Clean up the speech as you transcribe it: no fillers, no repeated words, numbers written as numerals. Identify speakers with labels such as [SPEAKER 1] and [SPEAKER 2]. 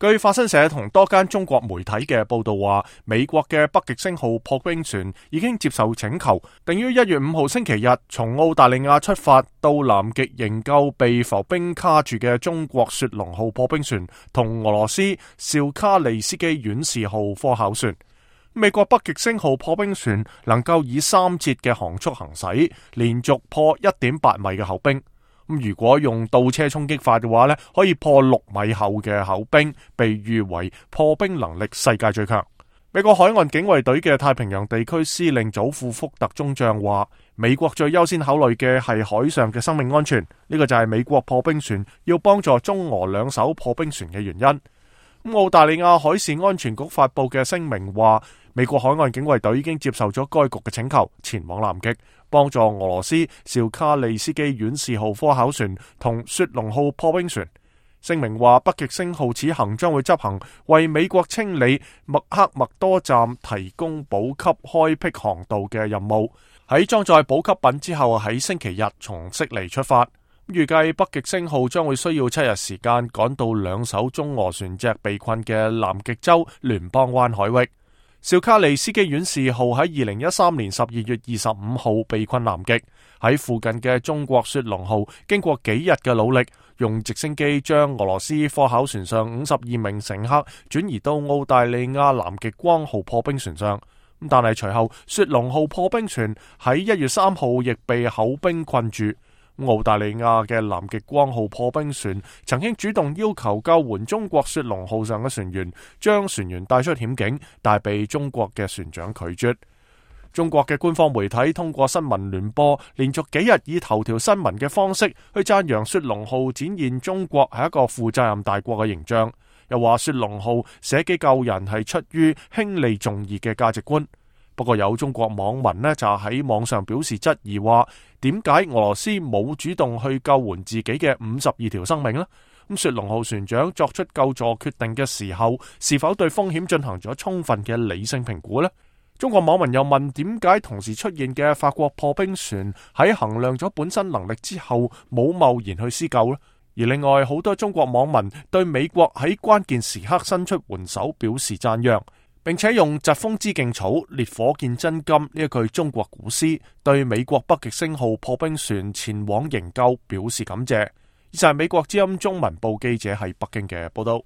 [SPEAKER 1] 據法新社同多間中國媒體嘅報道話，美國嘅北極星號破冰船已經接受請求，定於1月5號星期日從澳大利亞出發到南極營救被浮冰卡住嘅中國雪龍號破冰船同俄羅斯紹卡利斯基院士號科考船。美國北極星號破冰船能夠以3節嘅航速行駛，連續破 1.8 米嘅厚冰。如果用倒車衝擊法嘅話呢，可以破6米厚嘅厚冰，被譽為破冰能力世界最強。美國海岸警衛隊嘅太平洋地區司令祖庫福特中將話，美國最優先考慮嘅係海上嘅生命安全，呢個就係美國破冰船要幫助中俄兩艘破冰船嘅原因。澳大利亞海事安全局發佈嘅聲明話，美國海岸警衛隊已經接受咗該局嘅請求，前往南極幫助俄羅斯紹卡利斯基院士號科考船同雪龍號破冰船。聲明話，北極星號此行將會執行為美國清理麥克默多站提供補給開闢航道嘅任務，喺裝載補給品之後，喺星期日從悉尼出發。預計北極星號將會需要7日時間趕到2艘中俄船隻被困嘅南極洲聯邦灣海域。紹卡利斯基院士號喺2013年12月25號被困南極，喺附近嘅中國雪龍號經過幾日嘅努力，用直升機將俄羅斯科考船上52名乘客轉移到澳大利亞南極光號破冰船上。但係隨後雪龍號破冰船喺1月3號亦被厚冰困住。澳大利亞嘅南極光號破冰船曾經主動要求救援中國雪龍號上嘅船員，將船員帶出險境，但被中國嘅船長拒絕。中國嘅官方媒體通過新聞聯播，連續幾日以頭條新聞嘅方式去讚揚雪龍號展現中國係一個負責任大國嘅形象，又話雪龍號捨己救人係出於輕利重義嘅價值觀。不過有中國網民呢就喺網上表示質疑，話點解俄羅斯冇主動去救援自己嘅52條生命呢？咁雪龍號船長作出救助決定嘅時候，是否對風險進行咗充分嘅理性評估呢？中國網民又問，點解同時出現嘅法國破冰船喺衡量咗本身能力之後冇貿然去施救呢？而另外好多中國網民對美國喺關鍵時刻伸出援手表示讚揚，並且用疾風知勁草，烈火見真金呢一句中國古詩，對美國北極星號破冰船前往營救表示感謝。以上係美國之音中文部記者喺北京嘅報道。